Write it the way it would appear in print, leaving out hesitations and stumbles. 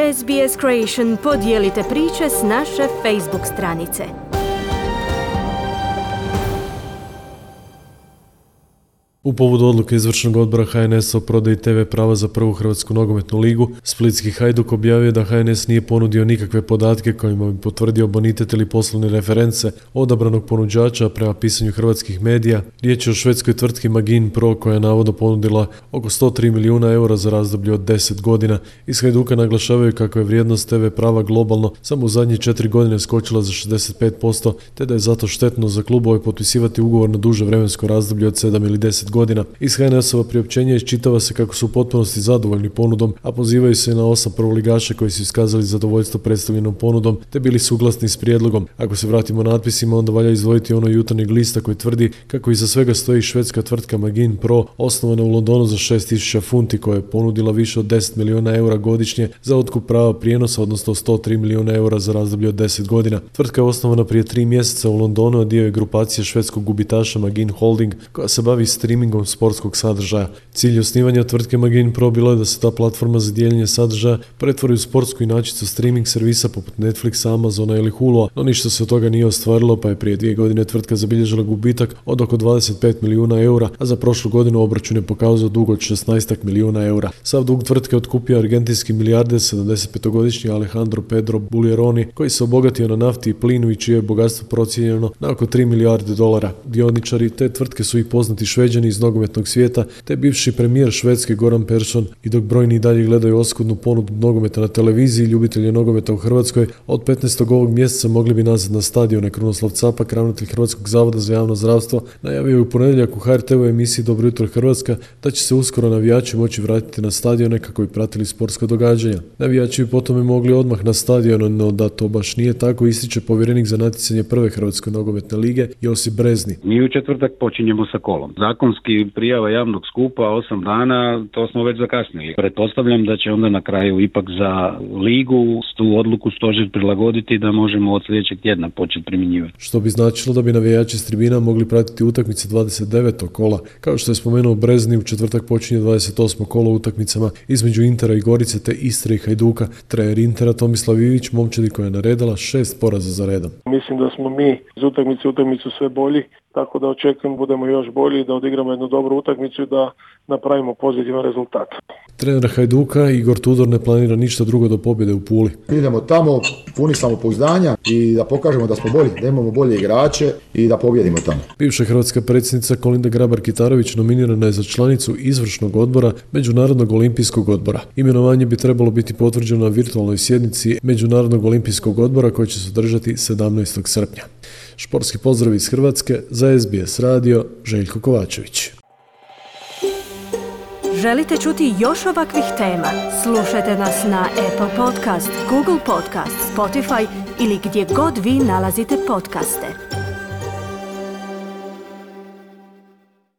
SBS Creation podijelite priče s naše Facebook stranice. U povodu odluke izvršnog odbora HNS-a o prodaji TV prava za prvu Hrvatsku nogometnu ligu, splitski Hajduk objavio da HNS nije ponudio nikakve podatke kojima bi potvrdio bonitet ili poslovne reference odabranog ponuđača prema pisanju hrvatskih medija. Riječ je o švedskoj tvrtki Magin Pro koja je navodno ponudila oko 103 milijuna eura za razdoblje od 10 godina. Iz Hajduka naglašavaju kako je vrijednost TV prava globalno samo u zadnje 4 godine skočila za 65%, te da je zato štetno za klubove potpisivati ugovor na duže vremensko razdoblje od 7 ili 10 godina. Iz HNS-ova priopćenja iščitava se kako su u potpunosti zadovoljni ponudom, a pozivaju se na 8 prvoligaša koji su iskazali zadovoljstvo predstavljenom ponudom, te bili suglasni s prijedlogom. Ako se vratimo natpisima, onda valja izdvojiti ono Jutarnjeg lista koji tvrdi kako iza svega stoji švedska tvrtka Magin Pro, osnovana u Londonu za 6.000 funti, koja je ponudila više od 10 milijuna eura godišnje za otkup prava prijenosa, odnosno 103 milijuna eura za razdoblje od 10 godina. Tvrtka je osnovana prije 3 mjeseca u Londonu, a dio je grupacije švedskog gubitaša Magin Holding, koja se bavi streamingom sportskog sadržaja. Cilj osnivanja tvrtke Magin Pro bilo je da se ta platforma za dijeljenje sadržaja pretvori u sportsku inačicu streaming servisa poput Netflixa, Amazona ili Hulua, no ništa se od toga nije ostvarilo, pa je prije 2 godine tvrtka zabilježila gubitak od oko 25 milijuna eura, a za prošlu godinu obračun je pokazao dug od 16 milijuna eura. Sav dug tvrtke otkupio argentinski milijarder 75-godišnji Alejandro Pedro Buljeroni, koji se obogatio na nafti i plinu i čije je bogatstvo procijenjeno na oko 3 milijarde dolara. Dioničari te tvrtke su i poznati Šveđani iz nogometnog svijeta, te bivši premijer Švedske Goran Persson, i dok brojni dalje gledaju oskudnu ponudu nogometa na televiziji, ljubitelji nogometa u Hrvatskoj od 15. ovog mjeseca mogli bi nazad na stadione. Krunoslav Capak, ravnatelj Hrvatskog zavoda za javno zdravstvo, najavio je u ponedjeljak u HRT-u emisiji Dobro jutro Hrvatska da će se uskoro navijači moći vratiti na stadione kako bi pratili sportska događanja. Navijači bi potom mogli odmah na stadion, no da to baš nije tako, ističe povjerenik za natjecanje prve Hrvatske nogometne lige Josip Brezni. Mi u četvrtak počinjemo sa kolom. Zakonski prijava javnog skupa 8 dana, to smo već zakasnili. Pretpostavljam da će onda na kraju ipak za ligu tu odluku stožer prilagoditi da možemo od sljedećeg tjedna početi primjenjivati. Što bi značilo da bi navijači s tribina mogli pratiti utakmice 29. kola. Kao što je spomenuo Brezni, u četvrtak počinje 28. kolo utakmicama između Intera i Gorice te Istre i Hajduka. Trener Intera Tomislav Ivić momčadi koja je naredila 6 poraza za redom. Mislim da smo mi iz utakmice u utakmicu sve bolji, tako da očekujem budemo još bolji, da odigramo jednu dobru utakmicu i da napravimo pozitivan rezultat. Trener Hajduka Igor Tudor ne planira ništa drugo do pobjede u Puli. Idemo tamo puni samopouzdanja i da pokažemo da smo bolji, da imamo bolje igrače i da pobjedimo tamo. Bivša hrvatska predsjednica Kolinda Grabar-Kitarović nominirana je za članicu izvršnog odbora Međunarodnog olimpijskog odbora. Imenovanje bi trebalo biti potvrđeno na virtualnoj sjednici Međunarodnog olimpijskog odbora koja će se održati 17. srpnja. Športski pozdrav iz Hrvatske, za SBS radio, Željko Kovačević. Želite čuti još ovakvih tema? Slušajte nas na Apple Podcast, Google Podcast, Spotify ili gdje god vi nalazite podcaste.